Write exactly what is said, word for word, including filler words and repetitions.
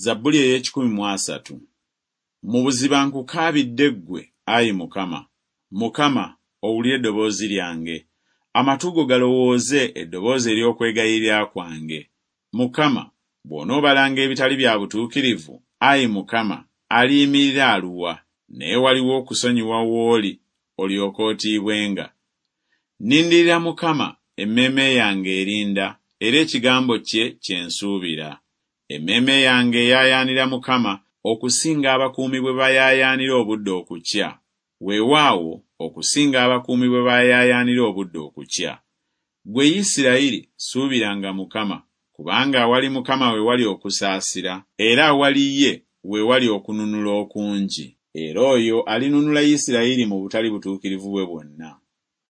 Zabbuli ey'ekikumi mu asatu. Mu buziba nkukaabidde ggwe, ayi Mukama. Mukama, owulire eddoboozi lyange. Amatu go galowooze eddoboozi ery'okwegayirira kwange. Mukama, bw'onoobalanga ebitali bya butuukirivu, ayi Mukama, aliyimirira aluwa? Naye waliwo okusonyiwa w'oli, olyoke otiibwenga. Nnindirira Mukama, emmeeme yange erinda, era ekigambo kye kye nsuubira. Emmeeme yange eyaayaanira Mukama okusinga abakuumi bwe bayaayaanira obudde okukya. Weewaawo, okusinga abakuumi bwe bayaayaanira obudde okukya. Ggwe Isirayiri suubiranga Mukama, kubanga awali Mukama we wali okusaasira, era awali ye we wali okununula okungi. Era oyo alinunula Isirayiri mu butali butuukirivu bwe bwonna.